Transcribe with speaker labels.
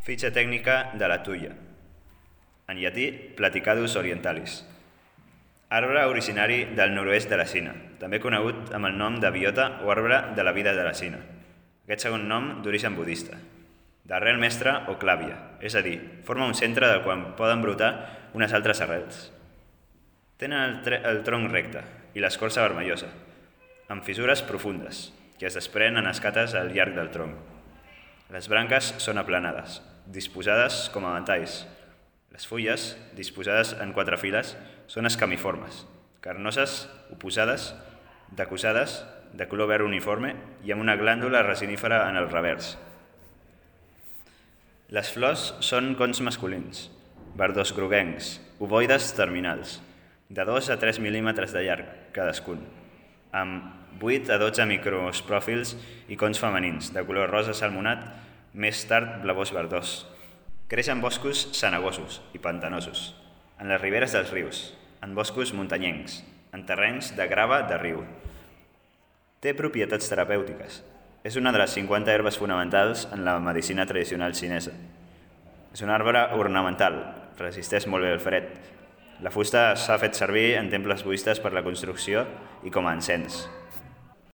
Speaker 1: Fitxa tècnica de la tuia. En llatí, Platycadus orientalis. Arbre originari del nord-oest de la Xina, també conegut amb el nom de biota o arbre de la vida de la Xina. Aquest segon nom d'origen budista. D'arrel mestra o clàvia, és a dir, forma un centre del qual poden brotar unes altres arrels. Tenen el tronc recte i l'escorça vermellosa, amb fissures profundes, que es desprenen en escates al llarg del tronc. Les branques són aplanades, disposades com a ventalls. Les fulles, disposades en 4 files, són escamiformes, carnoses, oposades, decussades, de color verd uniforme i amb una glàndula resinífera en el revers. Les flors són cons masculins, verdós groguencs, ovoides terminals, de 2 a 3 mil·límetres de llarg, cadascun, amb 8 a 12 micropròfils i cons femenins, de color rosa salmonat, més tard blavós verdós. Creix en boscos cenagosos i pantanosos, en les riberes dels rius, en boscos muntanyencs, en terrenys de grava de riu. Té propietats terapèutiques. És una de les 50 herbes fonamentals en la medicina tradicional xinesa. És un arbre ornamental, resisteix molt bé el fred. La fusta s'ha fet servir en temples budistes per la construcció i com a encens.